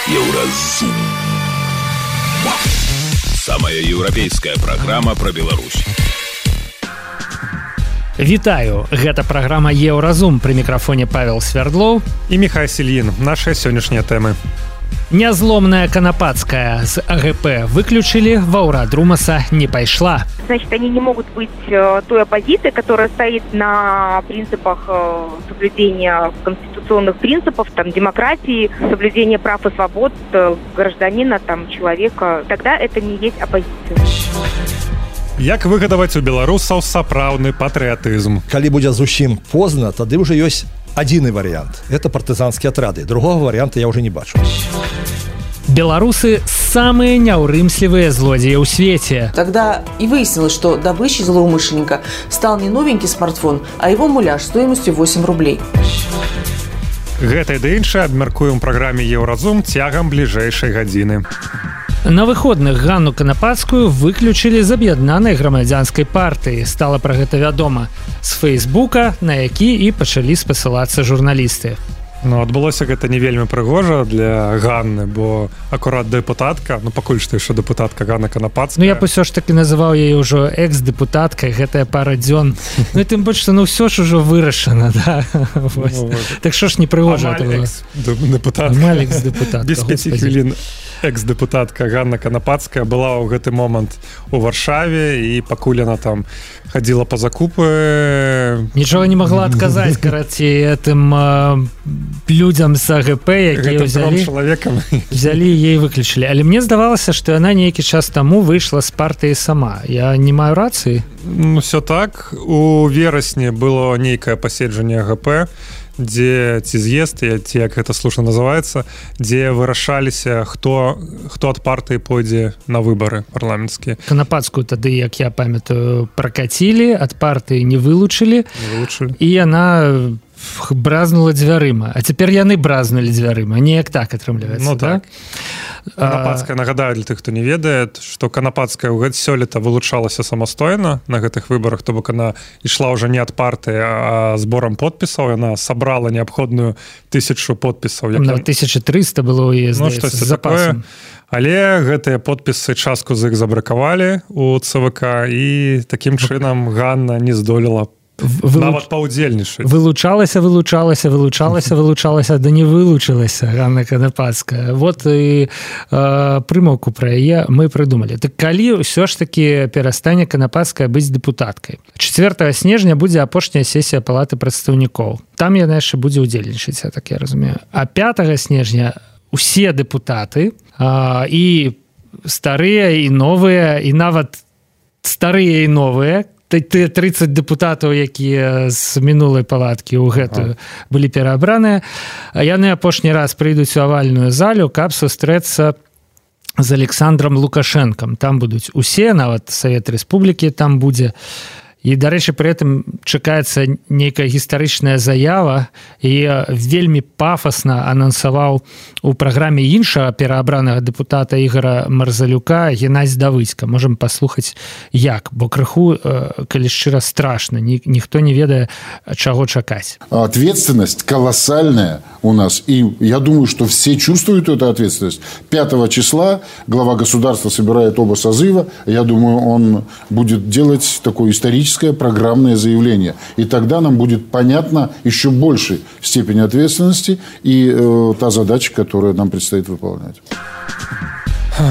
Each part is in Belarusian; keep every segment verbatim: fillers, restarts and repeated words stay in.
Еўразум. Самая еўрапейская праграма пра Беларусь. Вітаю, гэта праграма Еўразум, пры мікрафоне Павел Свярдлоў і Михай Сільін. Нашыя сённяшнія тэмы. Нязломная Канапацкая з АГП выключили, Ваўра Друмаса не пайшла. Значит, они не могут быть э, той оппозицией, которая стоит на принципах э, соблюдения конституционных принципов, там, демократии, соблюдения прав и свобод э, гражданина, там, человека. Тогда это не есть оппозиция. Як выгадаваць у беларусаў сапраўдны патрыятызм? Калі будзе зусім позна, тады ўжо ёсць адзіны варыянт. Это партызанскія атрады. Другого варианта я уже не бачу. Белорусы самые няўрымслівыя злодзеі ў свеце. Тогда и выяснилось, что добычей злоумышленника стал не новенький смартфон, а его муляж стоимостью восемь рублей. Гэта і да іншае абмяркуем у праграме Еўразум цягам бліжэйшай гадзіны. На выходных Ганну Канапацкую выключылі з аб'яднанай грамадзянскай партыі. Стала пра гэта вядома з Фейсбука, на які і пачалі спасылацца журналісты. Ну, адбылося гэта не вельмі прыгожа для Ганны, бо акурат дэпутатка, ну пакуль што яшчэ дэпутатка Ганна Канапацкая. Ну я б усё ж таки называў яе ўжо экс-дэпутаткай, гэтая пара дзён. Ну і тым больш, што ну ўсё ж ужо вырашана, да. Ну, так што ж не прыгожа это было. Дэпутатка. Амаль экс-дэпутатка. Без пяці хвілін. Экс-дэпутатка Ганна Канапацкая была ў гэты момант у Варшаве, і пакуль яна там хадзіла па закупы, нічога не магла адказаць, карацей, гэтым э, людзям з АГП, якія ўзялі, взялі ей выключылі. Але мне здавалася, што яна нейкі час таму выйшла з партыі сама. Я не маю рацыі? Ну, все так. У верасні было нейкае паседжанне АГП, дзе ці з'езд, ці як гэта слушна называецца, дзе вырашаліся, хто, хто ад партыі пойдзе на выбары парламенцкія. Канапацкую тады, як я памятаю, пракацілі, ад партыі не вылучылі, не вылучылі. І яна бразнула дзвярыма. А цяпер яны бразнулі дзвярыма. Неяк так атрымліваецца, ну, так? Канапацкая, нагадаю для тых, хто не ведае, што Канапацкая сёлета вылучалася самастойна на гэтых выбарах, то бок она ішла ўжо не ад партыі, а зборам подпісаў. Яна сабрала неабходную тысячу подпісаў. Як... Ну, тысяча трыста было ў ну, з запасам. Але гэтыя подпісы частку з іх забракавалі у ЦВК, і такім чынам Ганна не здолела Вылуч... нават паўдзельнічаць. Вылучалася, вылучалася, вылучалася, вылучалася, да не вылучылася Ганна Канапацкая. Вот і э, прымаўку пра яе мы прыдумалі. Так калі ўсё ж такі перастане Канапацкая быць дэпутаткай? чацвёртага снежня будзе апошняя сесія палаты прадстаўнікоў. Там яна яшчэ будзе ўдзельнічаць, я так я разумею. А пятага снежня усе дэпутаты, э, і старыя, і новыя, і нават старыя і новыя, тыя трыццаць дэпутатаў, якія з мінулай палаткі ў гэтую былі пераабраныя, яны апошні раз прыйдуць у авальную залю, каб сустрэцца з Александром Лукашэнкам. Там будуць усе, нават Савет Рэспублікі там будзе. І, дарэчы, пры гэтым чакаецца нейкая гістарычная заява, і вельмі пафасна анансаваў у праграме іншага пераабранага дэпутата Ігора Марзалюка Геннадзь Давыдзька. Можам паслухаць як, бо крыху, калі шчыра, страшна, Ні, ніхто не ведае, чаго чакаць. Ответственность колоссальная у нас, и я думаю, что все чувствуют эту ответственность. пятого числа глава государства собирает оба созыва, я думаю, он будет делать такое историческое программное заявление. И тогда нам будет понятна еще большей степень ответственности и э, та задача, которую нам предстоит выполнять.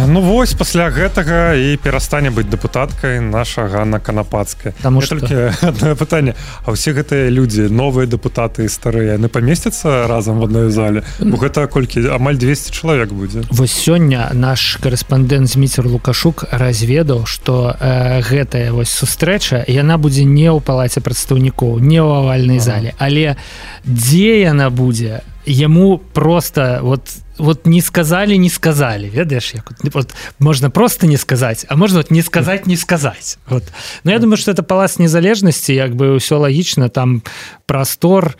Ну вось, пасля гэтага і перастане быць дэпутаткай наша Ганна Канапацкая. Таму што... толькі адно пытанне. А ўсе гэтыя людзі, новыя дэпутаты і старыя, яны памесцяцца разам в адной зале? Бо гэта колькі? Амаль двесце чалавек будзе. Вось сёння наш карэспандэнт Зміцер Лукашук разведаў, што э, гэтая вось сустрэча, яна будзе не ў палаце прадстаўнікоў, не ў авальнай ага. зале. Але дзе яна будзе? Яму просто вот вот не сказали, не сказали, ведаешь, як вот можно просто не сказать, а можно вот не сказать, не сказать. Вот. Но я думаю, что это палац незалежности, як бы все логично, там простор,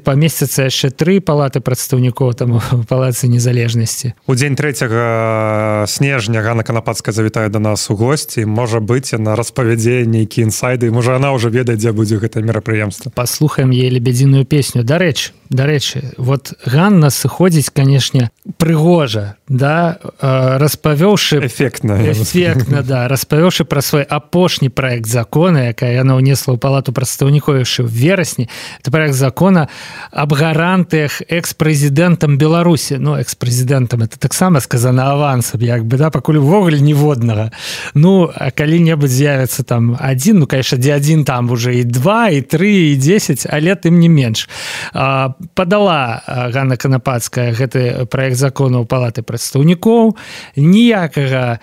поместятся яшчэ тры палаты прадстаўнікоў там у палацы незалежности. У дзень трэцяга снежня Ганна Канапацкая завітае до нас у госці, можа быць, яна распавядзе нейкія інсайды, можа она уже ведае, дзе будзе гэта мерапрыемства. Паслухаем ей лебедзіную песню. Дарэчы, дарэчы, вот Ганна сыходзіць, конечно, канешне прыгожа, да, распавёўшы эфектна эфектна да распавёўшы пра свой апошні праект закона, якая яна ўнесла ў палату прадстаўнікоў яшчэ ў верасні. Это праект закона аб гарантыях экс-прэзідэнтам Беларусі. Ну, экс-прэзідэнтам это таксама сказана авансам, як бы, да, пакуль увогуле ніводнага. Ну, а калі-небудзь з'явіцца там адзін, ну, конечно, дзе адзін там уже і два, і тры, і дзесяць, але тым не менш. Падала Ганна Канапацкая гэты праект закона ў палаты прадстаўнікоў. Ніякага,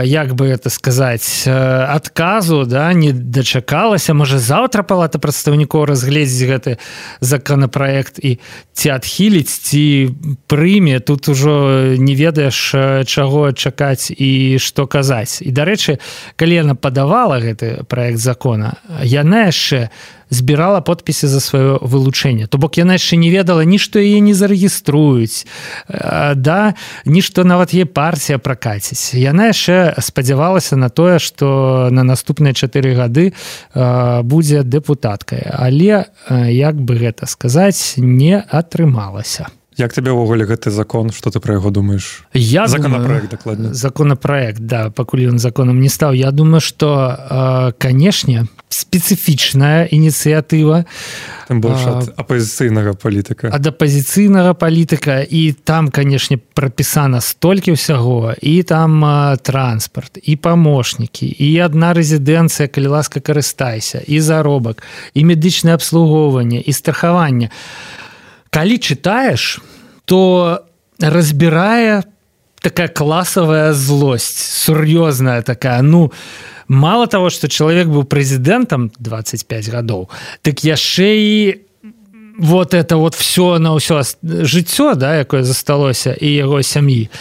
як бы это сказаць, адказу, да, не дачакалася. Можа, заўтра палата прадстаўнікоў разгледзіць гэты законапраект і ці адхіліць, ці прыме. Тут ужо не ведаеш, чаго чакаць і што казаць. І, дарэчы, калі яна падавала гэты праект закона, яна яшчэ збірала подпісы за сваё вылучэнне. То бок яна яшчэ не ведала ні што яе не зарэгіструюць, да, ні што нават яе партія пракаціць. Яна яшчэ спадзявалася на тое, што на наступныя чатыры гады будзе дэпутаткай. Але, як бы гэта сказаць, не атрымалася. Як тебе ўвогуле гэты закон, што ты пра яго думаеш? Я Законапраект, дакладна. Законапраект, да, пакуль ён законам не стаў. Я думаю, што, канешне, спецыфічная ініцыятыва. Тым больш ад апазіцыйнага палітыка. Ад апазіцыйнага палітыка. І там, канешне, прапісана столькі ўсяго. І там а, транспарт, і памочнікі, і адна рэзідэнцыя, калі ласка, карыстайся, і заробак, і медычнае абслугоўванне, і страхаванне. Калі читаешь, то разбирая такая классовая злость, серьезная такая. Ну, мало того, что человек был президентом двадцать пять годов, так яшчэ і вот это вот все на ўсё жыццё, да, якое засталося, і яго сям'і.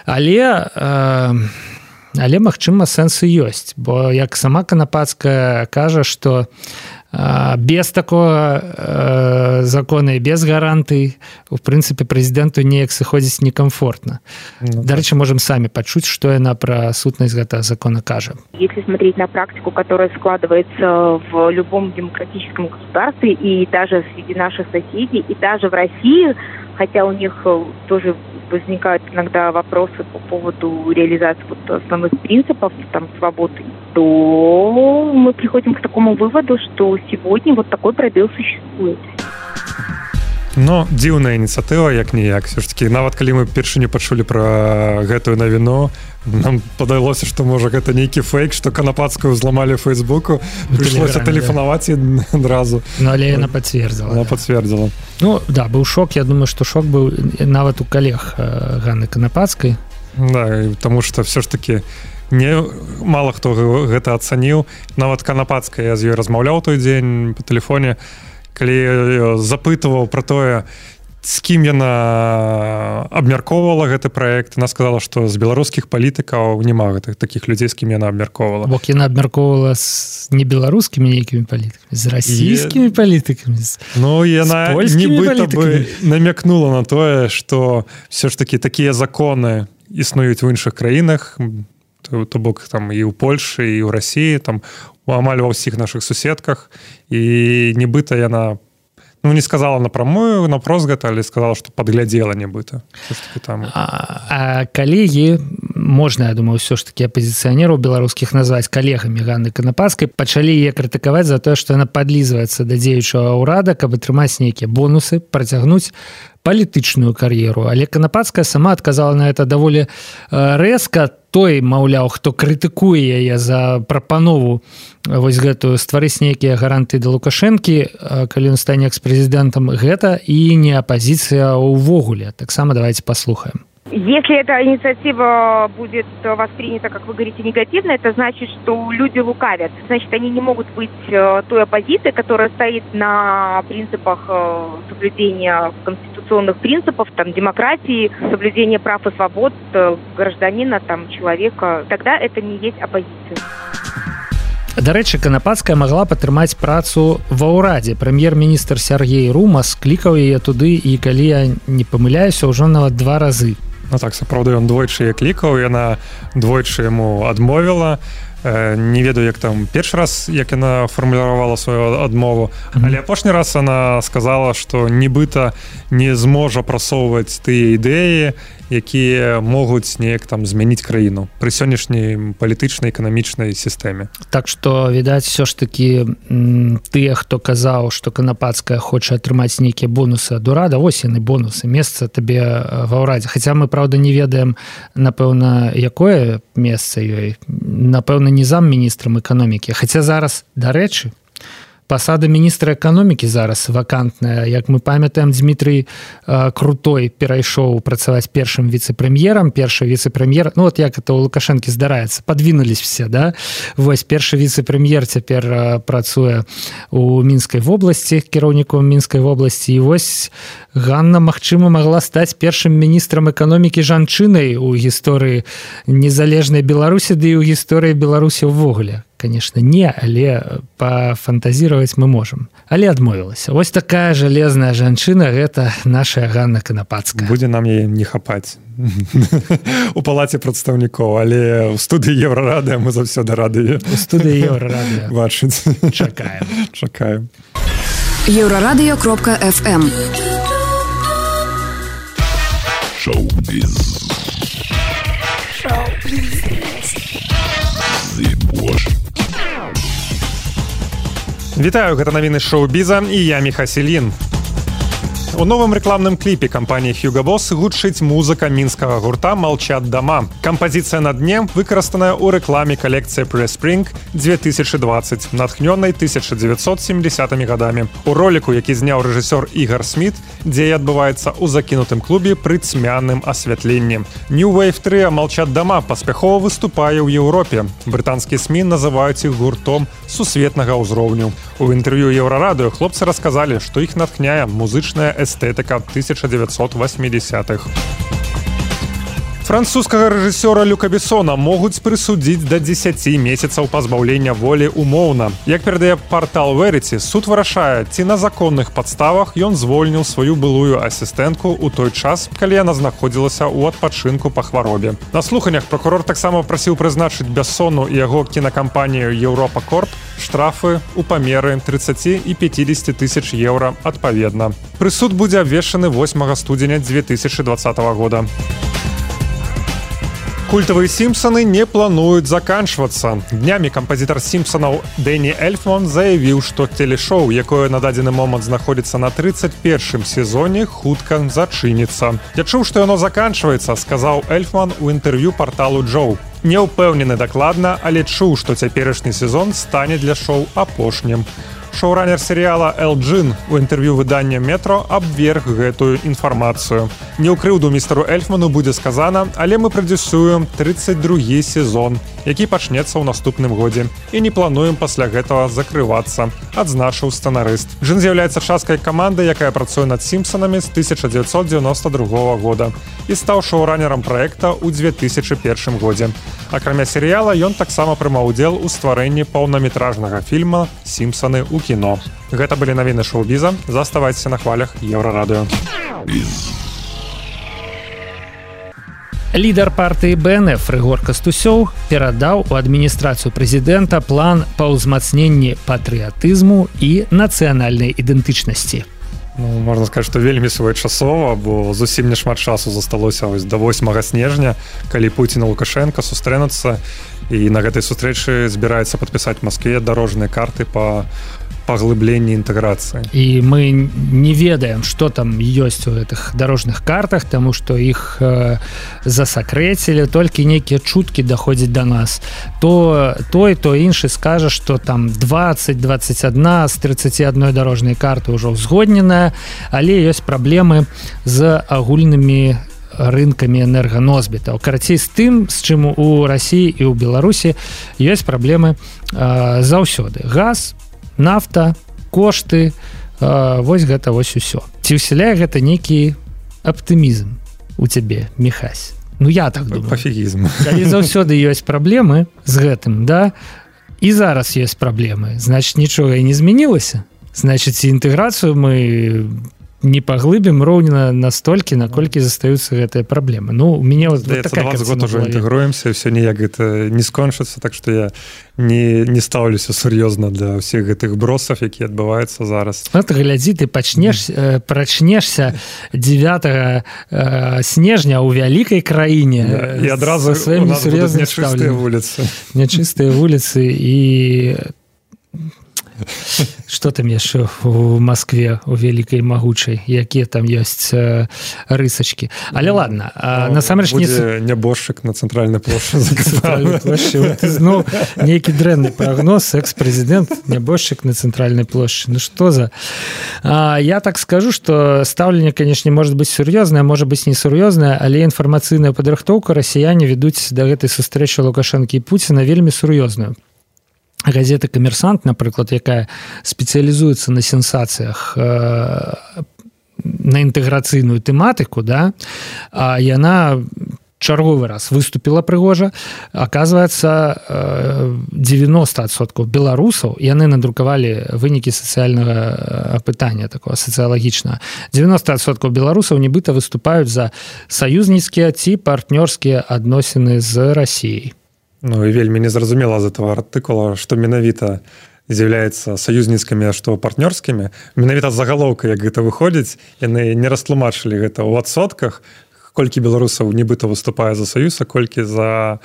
Але, э, але магчыма, сэнсы ёсць, бо як сама Канапацкая кажа, што без такого э, закона и без гарантий, в принципе, президенту неяк сыходзіць некомфортно. Ну, Дарэчы, можем сами почуть, что она про сутнасць гэтага закона кажа. Если смотреть на практику, которая складывается в любом демократическом государстве, и даже среди наших соседей, и даже в России, хотя у них тоже возникают иногда вопросы по поводу реализации вот основных принципов там, свободы, то мы приходим к такому выводу, что сегодня вот такой пробел существует. Ну, дзіўная ініцыятыва, як-ніяк. Все ж таки, нават калі мы першыню пачулі пра гэтую навіну, нам падалося, што, можа, гэта нейкі фейк, што Канапацкую зламалі ў Фейсбуку, прыйшлося тэлефанаваць адразу. Ну, але яна пацвердзіла. Яна пацвердзіла. Ну, да, быў шок. Я думаю, што шок быў нават у калег Ганны Канапацкай. Да, таму што все ж таки не мала хто гэта ацаніў. Нават Канапацкая, я з ёй размаўляў той дзень па тэлефоне, калі запытываў пра тое, з кім яна абмяркоўвала гэты праект, яна сказала, што з беларускіх палітыкаў няма гэтых такіх людзей, з кім яна абмяркоўвала. Бок яна абмяркоўвала з не беларускімі нейкімі палітыкамі, з расійскімі палітыкамі, ну, яна нібыта бы намякнула на тое, што все ж такі такія законы існуюць у іншых краінах, то бок там і ў Польшы, і ў Расіі, там амаль ва ўсіх нашых суседках, і нібыта яна, ну, не сказала напрамую, напрост гэта, але сказала, што падглядзела нібыта. Там... А, а калегі, можна, я думаю, ўсё ж такі апазіцыянераў беларускіх назваць калегамі Ганны Канапацкай, пачалі яе крытыкаваць за тое, што яна падлізваецца да дзеючага ўрада, каб атрымаць нейкія бонусы, працягнуць палітычную кар'еру. Але Канапацкая сама адказала на это даволі рэзка. Той, маўляў, хто крытыкуе яе за прапанову вось гэтую стварыць нейкія гарантыі да Лукашэнкі, калі ён стане экс-прэзідэнтам, гэта і не апозіцыя ўвогуле. Таксама давайте послухаем. Если эта инициатива будет воспринята, как вы говорите, негативно, это значит, что люди лукавят. Значит, они не могут быть той оппозицией, которая стоит на принципах соблюдения конституционных принципов, там, демократии, соблюдения прав и свобод гражданина, там, человека. Тогда это не есть оппозиция. Дарэчы, Канапацкая магла падтрымаць працу ва ўрадзе. Прэм'ер-міністр Сергей Румас клікаў яе туды, і калі я не памыляюся, ўжо нават два разы. Ну так, сапраўды, ён двойчы яе клікаў, яна двойчы яму адмовіла. не ведаю як там першы раз як яна фармулявала сваю адмову, але апошні раз она сказала, што нібыта не зможа прасоўваць тыя ідэі, якія могуць неяк там змяніць краіну пры сённяшняй палітычнай эканамічнай сістэме. Так што відаць все ж такі тыя, хто казаў, што Канапацкая хоча атрымаць нейкія бонусы ад урада, вось яны бонусы, месца табе ва ўрадзе. Хаця мы правда не ведаем, напэўна, якое месца ёй, напэўна, не замміністрам эканомікі. Хаця зараз, дарэчы, пасада міністра эканомікі зараз вакантная. Як мы памятаем, Дмітрый э, Крутой перайшоў працаваць першым віцэ-прэм'ерам, першы віцэ-прэм'ер, ну вот як это у Лукашэнкі здараецца, подвинулись все, да? Вось першы віцэ-прэм'ер цяпер э, працуе у Мінскай вобласці, кіраўніком Мінскай вобласці, і вось Ганна, магчыма, магла стаць першым міністрам эканомікі жанчынай у гісторыі незалежнай Беларусі, ды і ў гісторыі Беларусі ўвогуле. Конечно, не, але пафантазировать мы можем. Але адмовілася. Вось такая жалезная жанчына, гэта наша Ганна Канапацкая. Будзе нам яе не хапаць у палаце прадстаўнікоў, але ў студыі Еўрарадыё мы заўсёды рады у студыі Еўрарадыё бачыць. Чакаем. Чакаем. Еўрарадыё кропка эф эм. Шоу-біз. Шоу-біз. Зыбош. Вітаю, гэта навіны шоу-біза і я Міха Селін. У новым рэкламным кліпе кампаніі Hugo Boss гучыць музыка мінскага гурта «Молчат дома». Кампазіцыя на дне выкарыстаная ў рэкламе калекцыі Pre-Spring две тысячи двадцать, натхнёнай тысяча девятьсот семидесятымі гадамі. У роліку, які зняў рэжысёр Ігар Сміт, дзея адбываецца ў закінутым клубе пры цьмяным асвятленні. New Wave трыа «Молчат дома» паспяхова выступае ў Еўропе. Брытанскія СМІ называюць іх гуртом сусветнага ўзроўню. У інтэрв'ю Еўрарадыё хлопцы расказалі, што іх натхняе музычная эстэтыка тысяча девятьсот восьмидесятых. Французскага рэжысёра Люка Бессона могуць прысудзіць да дзесяці месяцаў пазбаўлення волі умоўна. Як перадае партал Verity, суд вырашае, ці на законных падставах ён звольніў сваю былую асістэнтку ў той час, калі яна знаходзілася ў адпачынку па хваробе. На слуханнях пракурор таксама прасіў прызначыць Бессону і яго кінакампанію Еўропа Корп штрафы ў памеры тридцати і пятидесяти тысяч еўра адпаведна. Прысуд будзе абвешчаны восьмага студзеня две тысячи двадцатого года. Культавыя «Сімпсаны» не плануюць заканчвацца. Днямі кампазітар «Сімпсанаў» Дэні Эльфман заявіў, што телешоу, якое на дадзены момант знаходзіцца на тридцать первым сезоне, хутка зачыніцца. «Я чуў, што яно заканчваецца», сказаў Эльфман у інтэрв'ю парталу «Джоу». Не ўпэўнены дакладна, але чуў, што цяперашні сезон стане для шоу апошнім. Шоуранер серыяла Эл Джин у інтэрв'ю выдання «Метро» абверг гэтую інфармацыю. Не ў крыўду містеру Эльфману будзе сказана, але мы прадзюсуем тридцать другі сезон, які пачнецца ў наступным годзе. І не плануем пасля гэтага закрывацца, адзначыў сцэнарыст. Джин з'яўляецца часткай каманды, якая працуе над «Сімпсанамі» з тысяча девятьсот девяносто другого года і стаў шоуранерам праекта ў две тысячи первым годзе. Акрамя серыяла, ён таксама прымаў удзел у стварэнні паўнаметражнага фільма «Сімпсаны» ў кіно. Гэта былі навіны шоу-біза. Заставайцеся на хвалях Еўрарадыё. Лідар партыі Бэ Эн Эф Рыгор Кастусёў перадаў у адміністрацыю прэзідэнта план па ўзмацненні патрыятызму і нацыянальнай ідэнтычнасці. Ну, можна сказаць, што вельмі своечасова, бо зусім не шмат часу засталося ось да восьмага снежня, калі Пуцін і Лукашенко сустрэнуцца, і на гэтай сустрэчы збіраецца падпісаць Маскве дарожныя карты па паглыбленні інтэграцыі. І мы не ведаем, што там ёсць у гэтых дарожных картах, таму што іх э, засакрэцілі, толькі нейкія чуткі даходзяць да нас. То той, то іншы скажа, што там двадцать двадцать одна з тридцати одной дарожнай карты ўжо ўзгодненая, але ёсць праблемы з агульнымі рынкамі энерганосьбітаў. Карацей, з тым, з чым у Расіі і ў Беларусі ёсць праблемы э, заўсёды. Газ, нафта, кошты, э, вось гэта вось усё. Ці ўсяляе гэта нейкі аптымізм у цябе, Міхась? Ну, я так думаю. Пафігізм. Калі заўсёды ёсць праблемы з гэтым, да, і зараз ёсць праблемы, значыць, нічога і не змянілася. Значыць, інтэграцыю мы не паглыбім роўна настолькі, наколькі застаюцца гэтыя праблемы. Ну, у мяне вот, вот такая двадцать год уже інтэгруемся, все ніяк гэта не скончыцца, так што я не, не стаўлюся сур'ёзна для ўсіх гэтых бросаў, якія адбываюцца зараз. Вот глядзі, ты пачнеш, э, прачнешся дзевятага э, снежня ў вялікай краіне, да, і адразу у нас будуць нячыстыя вуліцы. Нячыстыя вуліцы і... Што там яшчэ у Маскве, у вялікай магучай, якія там ёсць э, рысачкі. Але ладно, а, насамрэч не... Будзе нябожчык на цэнтральнай плошчы закапаны. Ну, нейкі дрэнны прагноз, экс-прэзідэнт, нябожчык на цэнтральнай плошчы. Ну, што за... А, я так скажу, што стаўленне, канешне, можа быць сур'ёзнае, можа быць несур'ёзнае, але інфармацыйную падрыхтоўку расіяне ведуць да гэтай сустрэчы Лукашэнкі і Пуціна вельмі сур'ёзную. Газета «Камерсант», напрыклад, якая спецыялізуецца на сенсацыях, э, на інтэграцыйную тэматыку, да, а яна чарговы раз выступила прыгожа. Аказваецца, девяносто адсоткаў беларусаў, яны надрукавалі вынікі сацыяльнага апытання, такого сацыялагічнага. девяносто адсоткаў беларусаў нібыта выступаюць за саюзніцкія ці партнёрскія адносіны з Расіяй. Ну і вельмі незразумела з этого артыкула, што менавіта з'яўляецца саюзніцкімі, а што партнёрскімі. Менавіта загалоўка, як гэта выходзіць, яны не растлумачылі гэта ў адсотках, колькі беларусаў нібыта выступае за саюз, а колькі за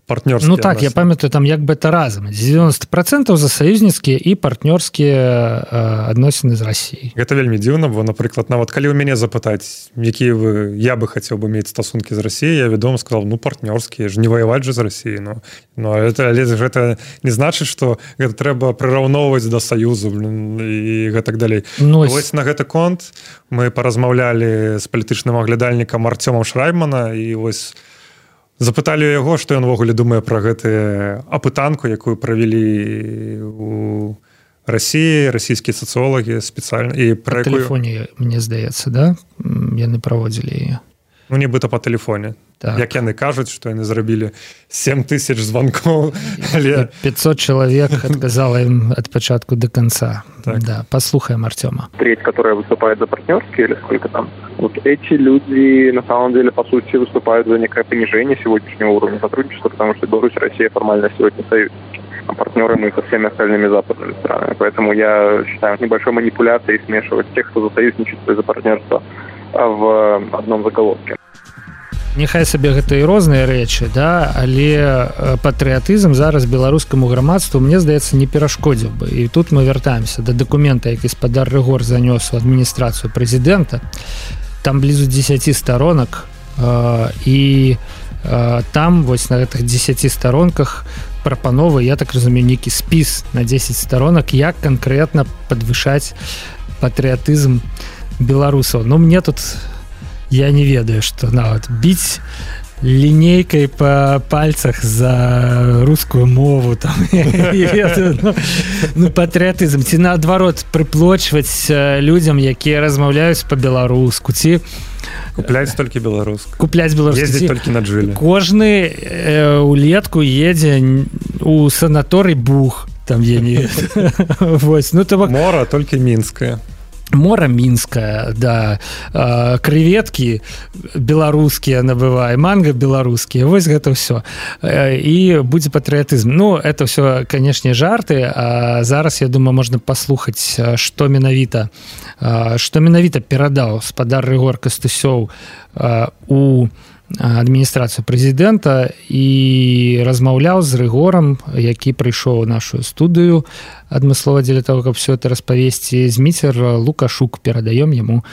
партнёрскія. Ну так, адносіны. Я памятаю, там як бы это разам. девяносто процентов за саюзніцкія і партнёрскія э, адносіны з Расіяй. Гэта вельмі дзіўна, бо, напрыклад, нават калі ў мяне запытаць, якія вы, я бы хацеў бы мець стасункі з Расіяй, я вядома сказал, ну, партнёрскія, ж не ваяваць же з Расіяй. Ну, ну это, але гэта не значыць, што гэта трэба прыраўноўваць да саюзу, блин, і гэтак далей. Ну, вось на гэты конт мы паразмаўлялі з палітычным аглядальнікам Артёмам Шрайбмана, і вось запыталі яго, што ён увогуле думае пра гэтую апытанку, якую правялі у Расіі, расійскія сацыолагі спецыяльна. І па якую... тэлефоне, мне здаецца, да? Яны праводзілі яе. Ну, нібыта па тэлефоне. Так. Як яны кажуць, што яны зрабілі семь тысяч звонкоў. Але... пятьсот человек отказало им от початку до конца. Так. Да, послушаем Артема. Треть, которая выступает за партнерские, или сколько там, вот эти люди, на самом деле, по сути, выступают за некое понижение сегодняшнего уровня сотрудничества, потому что Беларусь и Россия формально сегодня союзники, а партнеры мы со всеми остальными западными странами. Поэтому я считаю небольшой манипуляцией смешивать тех, кто за союзничество и за партнерство в одном заголовке. Няхай сабе гэта і розныя рэчы, да, але патрыятызм зараз беларускаму грамадству, мне здаецца, не перашкодзіў бы. І тут мы вяртаемся да дакумента, які спадар Рыгор занёс у адміністрацыю прэзідэнта. Там блізу дзесяці сторонак, э, і э, там вось на гэтых дзесяці сторонках прапановы, я так разумею, нейкі спіс на дзесяць сторонак, як канкрэтна падвышаць патрыятызм беларусаў. Ну, мне тут... Я не ведаю, што нават біць лінейкай па пальцах за рускую мову там, ведаю, ну, ну, патрыятызм, ці наадварот прыплочваць людзям, якія размаўляюць па-беларуску, ці купляць толькі беларуску. Купляць беларуску. Ездзіць толькі на джыле. Кожны э, улетку едзе у санаторый Бух, там я не ведаю. Вось, ну, то... Мора толькі мінская. Мора мінская, да, э, крэветкі беларускія набывае, манга беларускія, вось гэта ўсё. Э, і будзе патрыятызм. Ну, это ўсё, канешне, жарты, а зараз, я думаю, можна паслухаць, што менавіта, э, што менавіта перадаў спадар Рыгор Кастусёў э, у адміністрацыю прэзідэнта і размаўляў з Рыгорам, які прыйшоў у нашу студыю адмыслова дзеля того, каб все это распавесці. Зміцер Лукашук, перадаём яму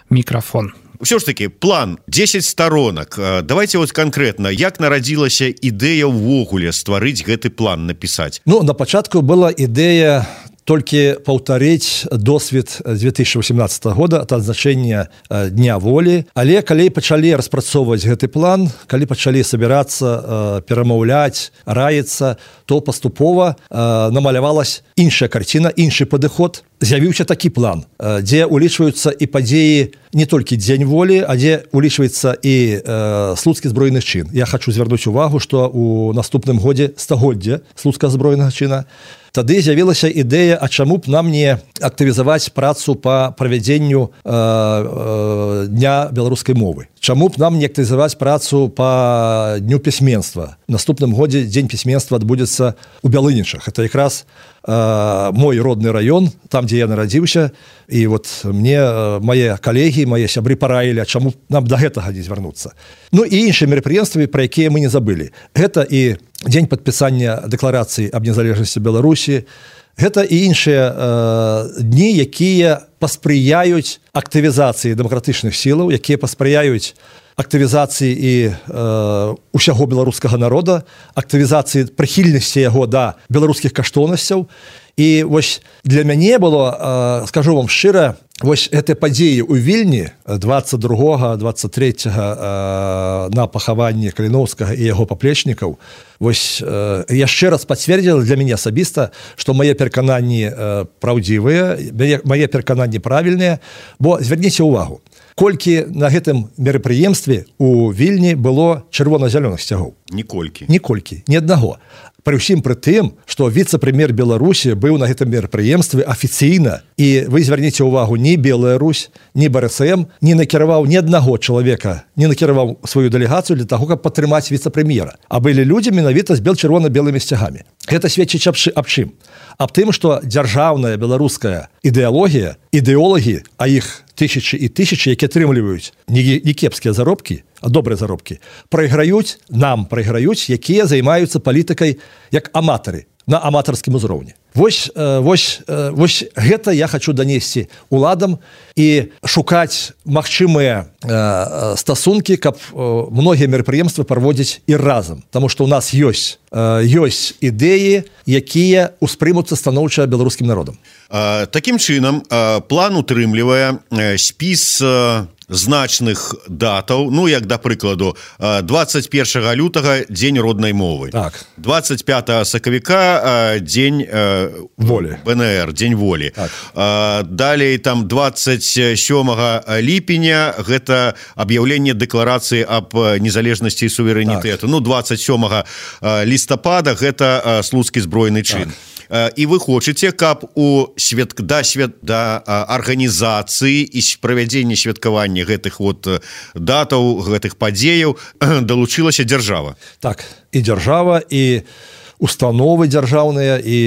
мікрафон. Все ж таки план десять сторонок. Давайте вот конкретно, як нарадзілася ідэя ўвогуле стварыць гэты план, напісаць? Ну, на пачатку была ідэя толькі паўтарыць досвед две тысячи восемнадцатого года ад адзначэння дня волі, але калі пачалі распрацоўваць гэты план, калі пачалі сабірацца, перамаўляць, раіцца, то паступова намалявалась іншая карціна, іншы падыход. з'явіўся такі план, дзе улічваюцца і падзеі не толькі дзень волі, а дзе улічваецца і э, слуцкі збройны чын. Я хочу звярнуць увагу, што у наступным годзе стагоддзя слуцкага збройнага чына тады з'явілася ідэя, а чаму б нам не актывізаваць працу па правядзенню э, э, дня беларускай мовы. Чаму б нам не актывізаваць працу па дню пісьменства. В наступным годзе дзень пісьменства адбудзецца ў Бялынічах. Это якраз э, мой родны раён, там, дзе я нарадзіўся, і вот мне э, мае калегі, мае сябры параілі, а чаму нам да гэтага не звярнуцца. Ну і іншыя мерапрыемствы, пра якія мы не забылі. Гэта і дзень падпісання дэкларацыі аб незалежнасці Беларусі, гэта і іншыя э, дні, якія паспрыяюць актывізацыі дэмакратычных сілаў, якія паспрыяюць актывізацыі і э, усяго беларускага народа, актывізацыі прыхільнасці яго да беларускіх каштоўнасцяў. І вось для мяне было, э, скажу вам шчыра, вось гэтыя падзеі ў Вільні двадцать другога двадцать трэцяга э, на пахаванні Каліноўскага і яго паплечнікаў, вось э, яшчэ раз пацвердзіла для мяне асабіста, што мае перакананні э, праўдзівыя, мае перакананні правільныя, бо звярніце ўвагу, колькі на гэтым мерапрыемстве у Вільні было чырвона-зялёных сцягоў? Ніколькі. Ніколькі, ні аднаго. Пры ўсім пры тым, што віцэ-прэм'ер Беларусі быў на гэтым мерапрыемстве афіцыйна, і вы звярніце ўвагу, ні Белая Русь, ні БРСМ не накіраваў ні аднаго чалавека, не накіраваў сваю дэлегацыю для таго, каб падтрымаць віцэ-прэм'ера. А былі людзі менавіта з бел-чырвона-белымі сцягамі. Гэта сведчыць аб чым? Аб тым, што дзяржаўная беларуская ідэалогія, ідэолагі, а іх тысячы і тысячы, які атрымліваюць не, не кепскія заробкі, а добрыя заробкі, прайграюць, нам прайграюць, якія займаюцца палітыкай як аматары, на аматарскім узроўні. Вось, вось, вось гэта я хочу данесці уладам і шукаць магчымыя стасункі, каб многія мерапрыемствы праводзіць і разам. Таму што ў нас ёсць, ёсць ідэі, якія ўспрымуцца станоўча беларускім народам. Такім чынам, план утрымлівае спіс значных датаў, ну, як, да прыкладу, двадцать першага лютага дзень роднай мовы. Так. двадцать пятага сакавіка дзень волі. БНР, дзень волі. Так. Далей, там, двадцать сёмага ліпеня гэта аб'яўленне дэкларацыі аб незалежнасці і суверэнітэту. Так. Ну, двадцать сёмага лістапада гэта слуцкі збройны чын. Так. І вы хочаце, каб у свят... да, свят... да арганізацыі і правядзення святкавання гэтых вот датаў, гэтых падзеяў далучылася дзяржава. Так, і дзяржава, і установы дзяржаўныя, і,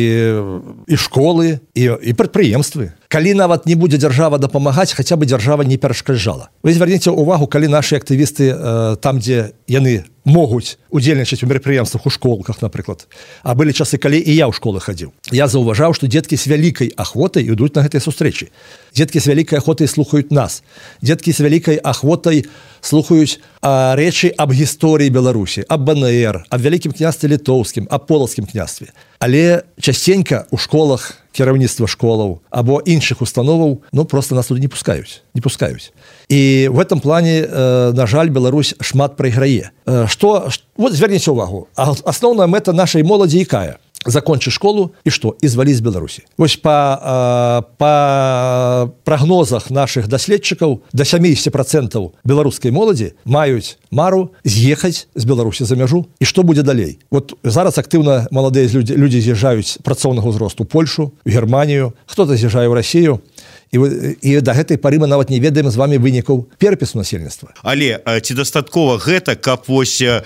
і школы, і, і прадпрыемствы. Калі нават не будзе дзяржава дапамагаць, хаця бы дзяржава не перашкаджала. Вы звярніце ўвагу, калі нашы актывісты э, там, дзе яны могуць удзельнічаць у мерапрыемствах у школках, напрыклад. А былі часы, калі і я ў школы хадзіў. Я заўважаў, што дзеткі з вялікай ахвотай ідуць на гэтыя сустрэчы. Дзеткі з вялікай ахвотай слухаюць нас. Дзеткі з вялікай ахвотай слухаюць а, рэчы аб гісторыі Беларусі, аб БНР, аб вялікім княстве літоўскім, аб полацкім княстве. Але частенька ў школах кіраўніцтва школаў або іншых установаў, ну, просто нас туды не пускаюць, не пускаюць. І в этом плане, э, на жаль, Беларусь шмат прайграе. Э, што, вот звярніце ўвагу, асноўная мэта нашай моладзі якая? Закончыць школу і што? І зваліць з Беларусі. Вось па, па прагнозах нашых даследчыкаў да сямдзесят процентаў беларускай моладзі маюць мару з'ехаць з Беларусі за мяжу. І што будзе далей? Вот зараз актыўна маладыя людзі, людзі з'язджаюць працоўнага ўзросту ў Польшу, у Германію, хто-то з'язджае ў Расію. І, і да гэтай пары мы нават не ведаем з вами вынікаў перапісу насельніцтва. Але ці дастаткова гэта, каб вось э,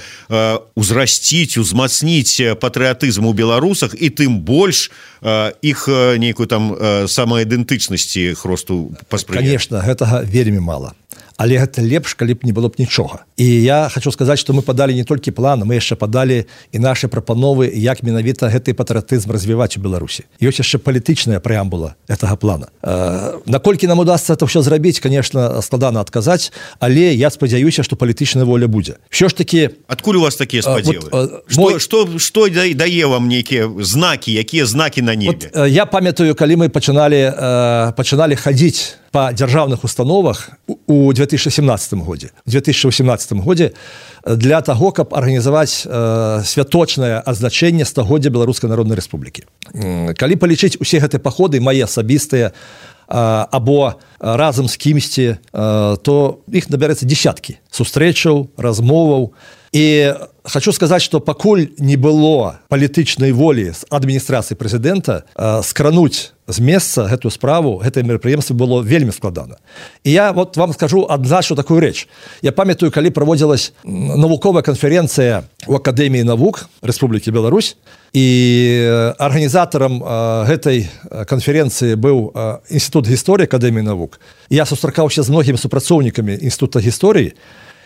узрасціць, узмацніць патрыятызм у беларусах і тым больш э, іх нейкую там э, самаідэнтычнасці росту паспрыяць? Конечно, гэтага вельмі мала. Але гэта лепш, калі б не было б нічога. І я хочу сказаць, што мы падалі не толькі план, мы яшчэ падалі і нашы прапановы, як менавіта гэты патрыятызм развіваць у Беларусі. Ёсць яшчэ палітычная прэамбула гэтага плана. Э, наколькі нам удасца это ўсё зрабіць, конечно, складана адказаць, але я спадзяюся, што палітычная воля будзе. Ўсё ж такі... Адкуль у вас такія спадзевы? Вот, што, мой... што, што дае вам нейкія знакі, якія знакі на небе? Вот, я памятаю, калі мы пачыналі, э, пачыналі хадзіць па дзяржаўных установах у две тысячи семнадцатым годзе. У две тысячи восемнадцатым годзе для таго, каб арганізаваць э, святочнае адзначэнне стагоддзя Беларускай Народнай Рэспублікі. Калі палічыць усе гэтыя паходы, мае асабістыя, або разам з кімсьці, то іх набярэцца десяткі сустрэчаў, размоваў. І хочу сказаць, што пакуль не было палітычнай волі з адміністрацыі прэзідэнта скрануць з месца гэтую справу, гэтае мерапрыемства было вельмі складана. І я вот вам скажу адзначу такую рэч. Я памятаю, калі праводзілась навуковая канферэнцыя у Акадэміі навук Рэспублікі Беларусь, і арганізатарам гэтай канферэнцыі быў Інстытут гісторыі Акадэміі навук. Я сустракаўся з многімі супрацоўнікамі Інстытута гісторыі,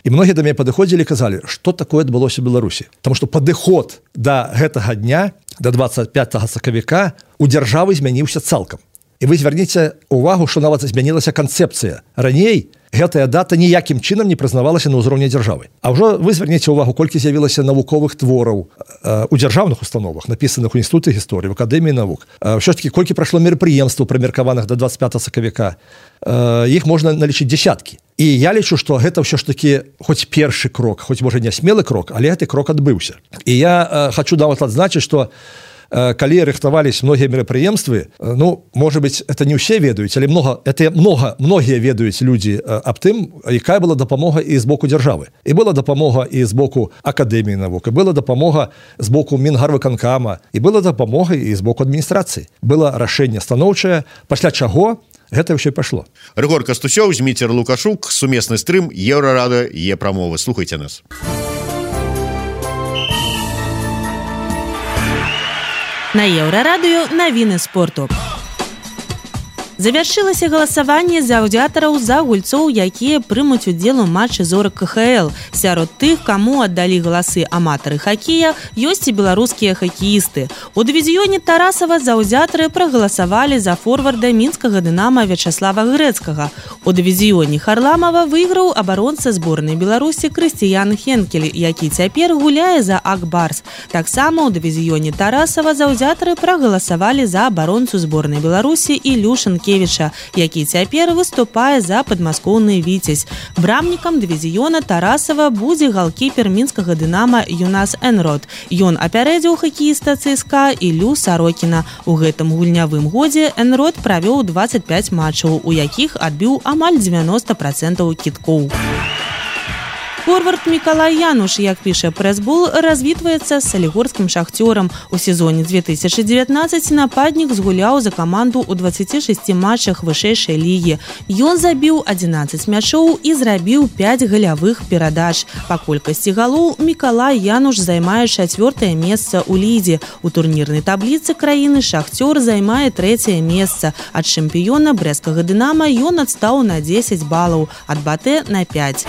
і многія да мяне падыходзілі і казалі, што такое адбылося ў Беларусі. Таму што падыход да гэтага дня, да двадцать пятага сакавіка, у дзяржавы змяніўся цалкам. І вы звярніце увагу, што нават змянілася канцэпцыя. Раней гэтая дата ніякім чынам не прызнавалася на ўзроўні дзяржавы. А ўжо вы звярніце ўвагу, колькі з'явілася навуковых твораў э, у дзяржаўных установах, напісаных у Інстытуце гісторыі, в Акадэміі навук. Э, ўсё ж такі, колькі прайшло мерапрыемстваў, прымеркаваных да двадцать пятага сакавіка, э, іх можна налічыць дзясяткі. І я лічу, што гэта ўсё ж такі хоць першы крок, хоць, можа, не смелы крок, але гэты крок адбыўся. І я э, хочу нават адзначыць, што калі рыхтавались многія мерапрыемствы, ну, может быть, это не ўсе ведаюць, але много, это много, многія ведаюць людзі аб тым, якая была дапамога і з боку дзяржавы. І была дапамога і з боку Акадэміі навук, і была дапамога з боку Мінгарвыканкама, і была дапамога і з боку адміністрацыі. Было рашэнне станоўчае, пасля чаго гэта ўсё і пайшло. Рыгор Кастусёў, Зміцер Лукашук, сумесны стрым Еўрарада, Е-прамовы. Слухайце нас. На Еўрарадыё навіны спорту. Завяршылася галасаванне за аўдыятараў за гульцоў, якія прымуць удзел у матчы зорак ка ха эл. Сярод тых, каму аддалі галасы аматары хакея, ёсць і беларускія хакеісты. У дывізіёне Тарасава заўзятары прагаласавалі за форварда мінскага дынама Вячаслава Грэцкага. У дывізіёне Харламава выйграў абаронца зборнай Беларусі Крыстыян Хенкель, які цяпер гуляе за Ак Барс. Таксама ў дывізіёне Тарасава заўзятары прагаласавалі за абаронцу зборнай Беларусі Ілюшын Кевіча, які цяпер выступае за падмаскоўны Віцязь. Брамнікам дывізіёна Тарасава будзе галкіпер мінскага дынама Юнас Энрод. Ён апярэдзіў хакеіста цэ эс ка Ілю Сарокіна. У гэтым гульнявым годзе Энрод правёў двадцать пять матчаў, у якіх адбіў амаль девяносто процентов кідкоў. Форвард Мікалай Януш, як піша прэс-бол, развітваецца з салігорскім шахцёрам. У сезоне две тысячи девятнадцать нападнік згуляў за каманду ў двадцати шести матчах вышэйшай лігі. Ён забіў одиннадцать мячоў і зрабіў пять галявых перадач. Па колькасці галоў Мікалай Януш займае чацвёртае месца ў лідзе. У турнірнай табліцы краіны шахцёр займае трэцяе месца. Ад чэмпіёна брэсцкага дынама ён адстаў на десять балаў, ад батэ на пять.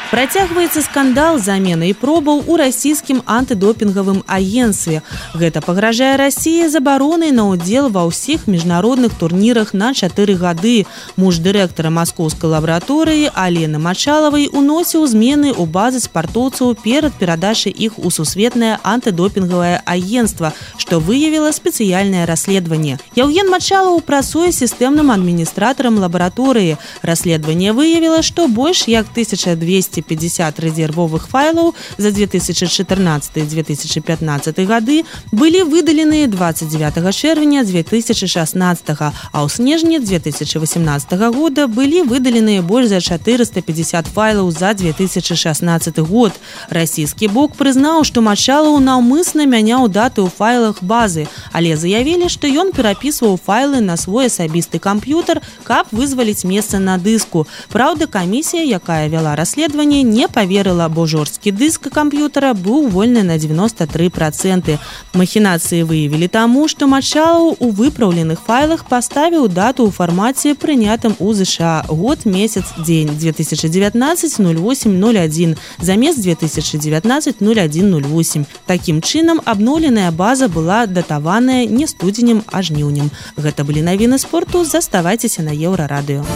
Працягваецца скандал замены і пробаў у расійскім антыдопінгавым агенцтве. Гэта пагражае Расіі забаронай на ўдзел ва ўсіх міжнародных турнірах на чатыры гады. Муж дырэктара маскоўскай лабараторыі Алены Мачалавай уносіў змены ў базы спартоўцаў перад перадачай іх у сусветнае антыдопінгавае агенцтва, што выявіла спецыяльнае расследаванне. Яўген Мачалаў працуе сістэмным адміністратарам лабараторыі. Расследаванне выявіла, што больш як тысяча двести пятьдесят резервовых файлаў за две тысячи чатырнаццаты - две тысячи пятнаццаты гады былі выдалены двадцать девятого чэрвеня две тысячи шестнадцатого, а ў снежні две тысячи восемнадцатого года былі выдалены больш за четыреста пятьдесят файлаў за две тысячи шестнадцаты год. Расійскі бок прызнаў, што Мачалаў наўмысна мяняў даты ў файлах базы, але заявілі, што ён перапісваў файлы на свой асабісты камп'ютар, каб вызваліць месца на дыску. Праўда, камісія, якая вяла расследаванне, не поверила, бо жорсткі дыск камп'ютара быў вольны на девяносто три процента. Махінацыі выявілі таму, што Мачалаў у выпраўленых файлах паставіў дату ў фармаце, прынятым у ЗША, год, месяц, дзень две тысячи девятнадцать ноль восемь ноль один замест две тысячи девятнадцать ноль один ноль восемь. Такім чынам абноўленая база была датаваная не студзенем, а жніўнем. Гэта былі навіны спорту. Заставайцеся на Еўрарадыё.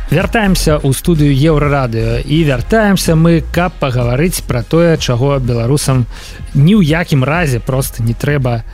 Вяртаемся ў студыю Еўрарадыё і вяртаемся мы, каб пагаварыць пра тое, чаго беларусам ні ў якім разе проста не трэба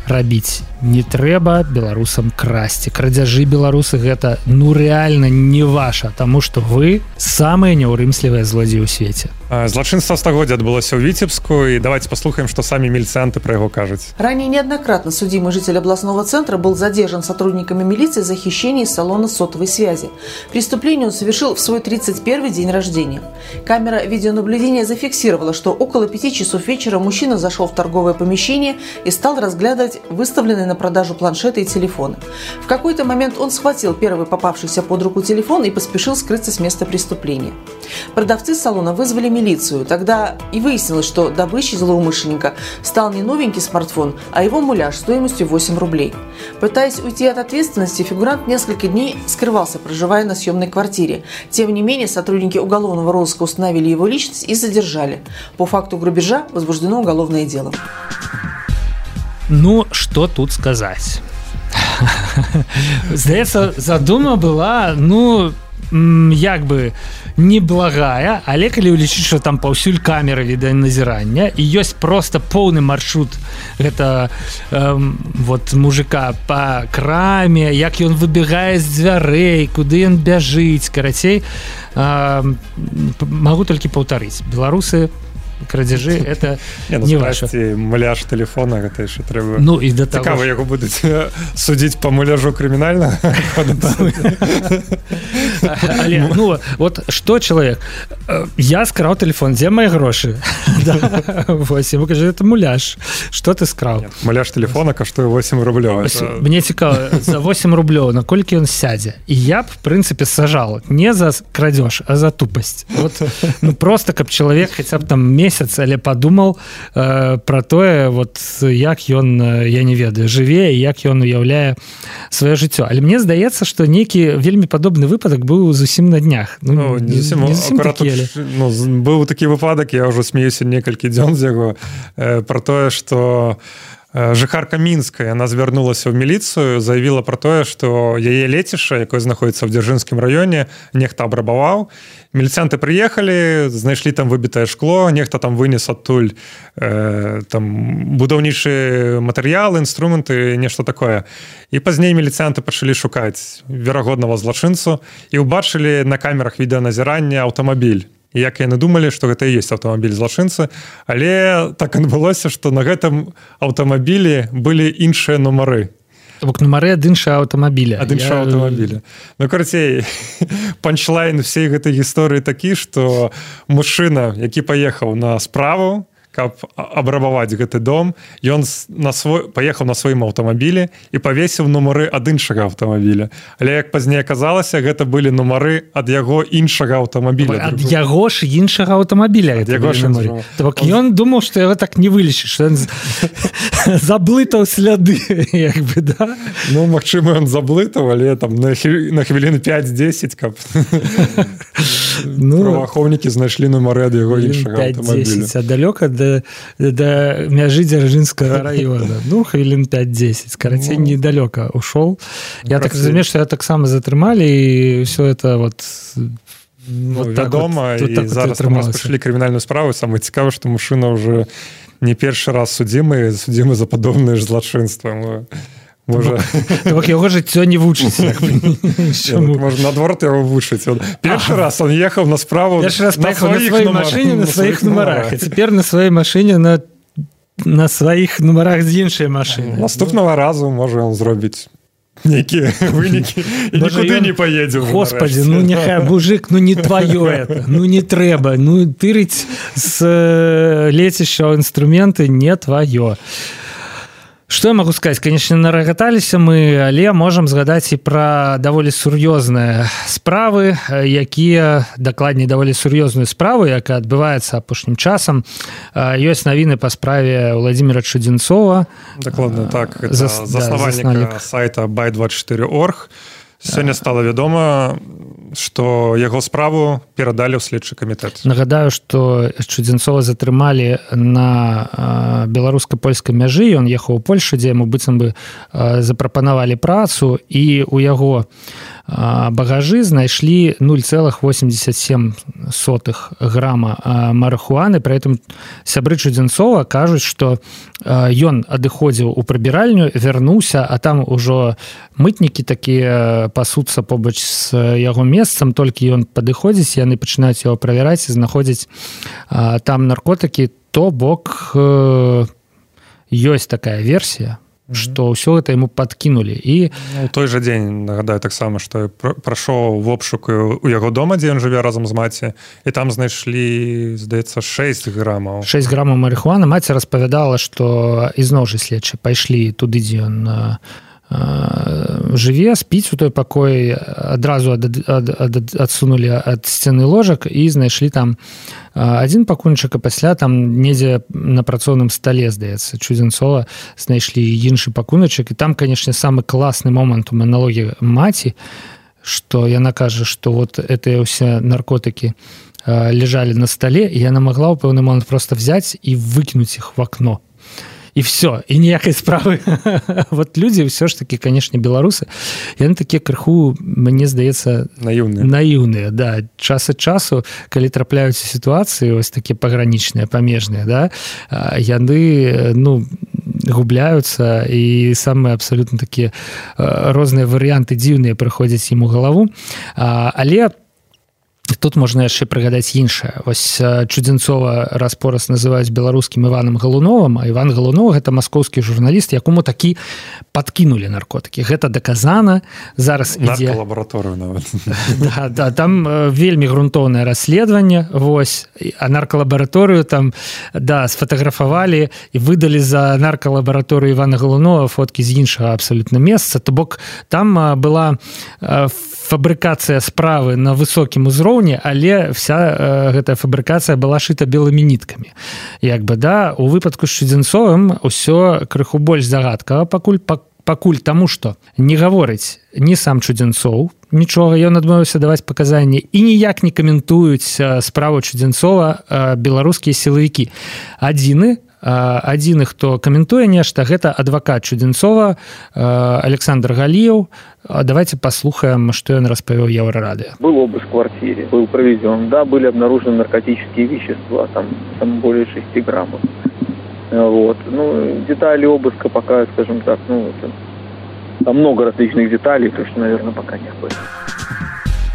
рабіць. Не трэба беларусам красці. Крадзяжы беларусы гэта ну рэальна не ваша, таму што вы самыя няўрымслівыя злодзеі ў свеце. Злачынства стагоддзя адбылося ў Віцебску, і давайте послухаем, што самі міліцыянты пра яго кажуць. Ранее неоднократно судимый житель областного центра был задержан сотрудниками милиции за хищение из салона сотовой связи. Преступление он совершил в свой тридцать первый день рождения. Камера видеонаблюдения зафиксировала, что около пяти часов вечера мужчина зашел в торговое помещение и стал разглядывать выставленные на продажу планшеты и телефоны. В какой-то момент он схватил первый попавшийся под руку телефон и поспешил скрыться с места преступления. Продавцы салона вызвали милицию. Тогда и выяснилось, что добычей злоумышленника стал не новенький смартфон, а его муляж стоимостью восемь рублей. Пытаясь уйти от ответственности, фигурант несколько дней скрывался, проживая на съемной квартире. Тем не менее, сотрудники уголовного розыска установили его личность и задержали. По факту грабежа возбуждено уголовное дело. Ну, што тут сказаць? Здаецца, задума была, ну, як бы неблагая, але калі ўлічыць, што там паўсюль камеры відэаназірання і ёсць проста поўны маршрут гэта эм, вот мужика па краме, як ён выбегае з дзвярэй, куды ён бяжыць, карацей, эм, магу толькі паўтарыць. Беларусы крадзяжы это не, ну, не ваше. Муляж телефона гэта яшчэ трэба. Ну і да таго цікава, яго будуць судзіць па муляжу крымінальна. Але ну вот што чалавек, я скраў телефон, дзе мои грошы? Вось яму кажа, это муляж. Што ты скраў? Муляж телефона каштуе восемь рублёў. Мне цікава, за восемь рублёў наколькі ён сядзе? І я б в прынцыпе сажал не за крадзеж, а за тупасць. Вот ну просто каб чалавек хаця б там месяц, але падумал э, пра тое, вот як ён, я не ведаю, жыве і як ён уяўляе сваё жыццё. Але мне здаецца, што нейкі вельмі падобны выпадак быў зусім на днях. Ну, ну, не зусім, не зусім такі, але... ну, быў такі выпадак, я ўжо смеюся некалькі дзён з яго э, пра тое, што жыхарка Мінска, яна звярнулася ў міліцыю, заявіла пра тое, што яе лецішча, якое знаходзіцца ў Дзяржынскім раёне, нехта абрабаваў. Міліцыянты прыехалі, знайшлі там выбітае шкло, нехта там вынес адтуль э, там будаўнічыя матэрыялы, інструменты, нешта такое. І пазней міліцыянты пачалі шукаць верагоднага злачынцу і ўбачылі на камерах відэаназірання аўтамабіль. І як яны думалі, што гэта і ёсць аўтамабіль злачынцы, але так адбылося, што на гэтым аўтамабілі былі іншыя нумары. Бок нумары ад іншага аўтамабіля. Ад іншага Я... аўтамабіля. Ну, карацей, панчлайн всей гэтай гісторыі такі, што мужчына, які паехаў на справу, каб абрабаваць гэты дом, ён на свой паехаў на сваім аўтамабілі і павесіў нумары ад іншага аўтамабіля. Але як пазней аказалася, гэта былі нумары ад яго іншага аўтамабіля. Ад яго ж іншага аўтамабіля. Так ён думаў, што яго так не вылечыць, што ён заблытаў сляды, як бы, да? Ну, магчыма, ён заблытаў, але там на хвілін пяць-дзесяць, каб праваахоўнікі знайшлі нумары ад яго іншага аўтамабіля. А далёка да да мяжы Дзяржынскага раёна. Ну, хвілін пяць-дзесяць. Карацей, ну, недалёка ушоў. Я так разумею, што я таксама затрымалі, і ўсё это вот... Ну, вот вядома, вот, і так зараз там распачалі крымінальную справу. Самае цікава, што мужчына ўжо не першы раз судзімы, судзімы за падобнае ж злачынства. Можа... Так яго жыццё не вучыць. Можа, наадварот яго вучыць. Першы раз он ехаў на справу на сваёй машыне, на сваіх нумарах. А цяпер на сваёй машыне на на сваіх нумарах з іншай машыны. Наступнага разу можа ён зробіць нейкія вынікі і нікуды не паедзе. Господи, ну няхай, мужик, ну не тваё это, ну не трэба, ну тырыць з лецішча інструменты не тваё. Што я магу сказаць? Канечне, нарагаталіся мы, але можам згадаць і пра даволі сур'ёзныя справы, якія, дакладней, даволі сур'ёзную справу, якая адбываецца апошнім часам. Ёсць навіны па справе Владимира Чудзенцова. Дакладна, так. Это Зас... заснавальніка да, сайта бай двадцять четыре точка орг. Сёння стала вядома, што яго справу перадалі ў следчы камітэт. Нагадаю, што Чудзенцова затрымалі на беларуска-польскай мяжы, ён ехаў у Польшу, дзе яму быццам бы запрапанавалі працу, і ў яго багажы знайшлі нуль цэлых восемьдесят семь сотых грама марыхуаны. Пры этом сябры Чудзенцова кажуць, што ён адыходзіў у прыбіральню, вярнуўся, а там ужо мытнікі такія пасуцца побач з яго месцам, толькі ён падыходзіць, яны пачынаюць яго правяраць і знаходзяць там наркотыкі. То бок ёсць такая версія, што ўсё гэта яму падкінулі. І у той жа дзень, нагадаю таксама, што прайшоў в обшук у яго дома, дзе ён жыве разам з маці, і там знайшлі, здаецца, шэсць грамаў. шэсць грамаў марыхуаны. Маці распавядала, што ізноў жа следчы пайшлі туды, дзе ён жыве, спіць у той пакоі, адразу ад, ад, ад, адсунулі ад сцены ложак і знайшлі там адзін пакунчык, а пасля там недзе на працоўным стале, здаецца, Чудзенцова знайшлі іншы пакуначак. І там, канешне, самы класны момант у маналогі маці, што яна кажа, што вот гэтыя ўсе наркотыкі ляжалі на стале, і яна магла ў пэўны момант проста взяць і выкінуць іх в акно. І все, і ніякай справы. Вот людзі ўсё ж такі, канешне, беларусы, яны такія крыху, мне здаецца, наіўныя. Наіўныя, да. Час ад часу, калі трапляюцца сітуацыі, ось такія пагранічныя, памежныя, да, яны, ну, губляюцца, і самыя абсалютна такія розныя варыянты дзіўныя прыходзяць ім у галаву. Але тут можна яшчэ прыгадаць іншае. Вось Чудзенцова раз-пораз называюць беларускім Іванам Галуновым, а Іван Галунов – гэта маскоўскі журналіст, якому такі падкінулі наркотыкі. Гэта даказана. Зараз ідзе... Наркалабараторыю нават. Да, да, там вельмі грунтоўнае расследаванне, вось, а наркалабараторыю там, да, сфотаграфавалі і выдалі за наркалабараторыю Івана Галунова фоткі з іншага абсалютна месца. То бок там была фабрыкацыя справы на высокім узроўні, але вся гэтая фабрыкацыя была шыта белымі ніткамі. Як бы, да, у выпадку з Чудзенцовым ўсё крыху больш загадкава, пакуль, пакуль таму, што не гаворыць ні сам Чудзенцоў, нічога, ён адмовіўся даваць паказанні, і ніяк не каментуюць справу Чудзенцова беларускія сілавікі. Адзіны, адзіны, хто каментуе нешта, гэта адвакат Чудзенцова Александр Галіев. Давайте послушаем, что он распавёў Еврорадио. Был обыск в квартире, был проведен, да, были обнаружены наркотические вещества, там, там более шести граммов. Вот. Ну, детали обыска пока, скажем так, ну, это, там много различных деталей, то что, наверное, пока не было.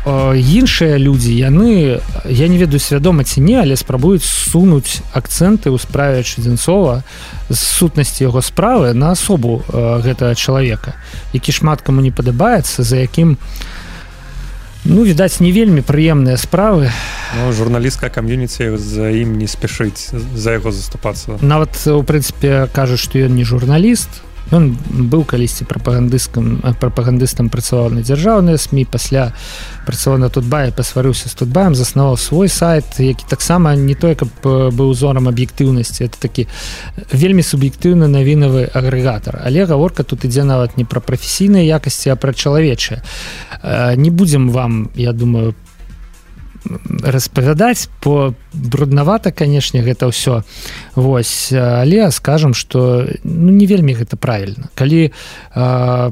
Іншыя людзі, яны, я не ведаю свядома ці не, але спрабуюць сунуць акцэнты ў справе Чудзенцова з сутнасці яго справы на асобу гэтага чалавека, які шмат каму не падабаецца, за якім, ну, відаць, не вельмі прыемныя справы. Ну, журналістская кам'юніці за ім не спешыць, за яго заступацца. Нават, у прынцыпе, кажуць, што ён не журналіст. Ён быў калісьці прапагандыстам, прапагандыстам працаваў на дзяржаўныя СМІ, пасля працаваў на Тутбае, пасварыўся з Тутбаем, заснаваў свой сайт, які таксама не той, каб быў узорам аб'ектыўнасці, это такі вельмі суб'ектыўны навінавы агрэгатар. Але гаворка тут ідзе нават не пра прафесійныя якасці, а пра чалавечыя. Не будзем вам, я думаю, распавядаць, бо бруднавата, канешне, гэта ўсё. Вось, але скажам, што, ну, не вельмі гэта правільна. Калі э,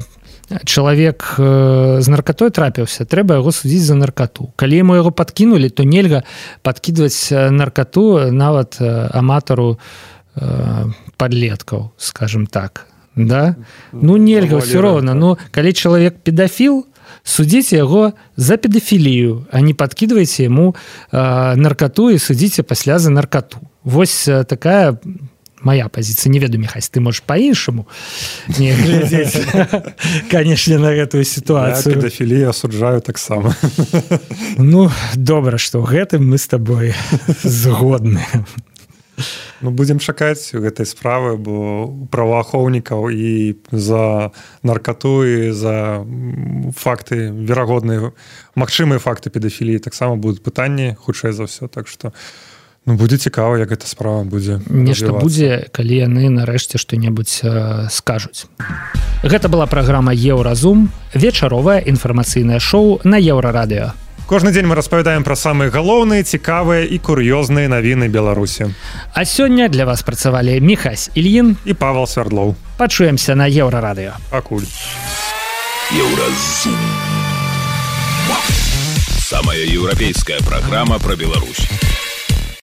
чалавек э, з наркатой трапіўся, трэба яго судзіць за наркату. Калі яму яго падкінулі, то нельга падкідваць наркату нават э, аматару э, падлеткаў, скажем так. Да? Ну, нельга ўсё роўна. Ну, калі чалавек педафіл, судзіце яго за педафілію, а не падкідвайце яму э, наркату і судзіце пасля за наркату. Вось э, такая моя пазіцыя. Не ведаю, Міхась, ты можаш па-іншаму не глядзець, канешне, на гэтую сітуацыю. Я педафілію асуджаю таксама. Ну, добра, што ў гэтым мы з табой згодны. Ну, будзем чакаць гэтай справы, бо праваахоўнікаў і за наркату, і за факты верагодныя, магчымыя факты педафіліі таксама будуць пытанні, хутчэй за ўсё, так што, ну, будзе цікава, як эта справа будзе нешта будзе, калі яны нарэшце што-небудзь э, скажуць. Гэта была праграма Еўразум, вечаровае інфармацыйнае шоу на Еўрарадыё. Кожны дзень мы распавядаем пра самыя галоўныя, цікавыя і кур'ёзныя навіны Беларусі. А сёння для вас працавалі Міхась Ільін і Павел Свярдлоў. Пачуемся на Еўрарадыё. Пакуль. Еўразум. Самая еўрапейская программа про Беларусь.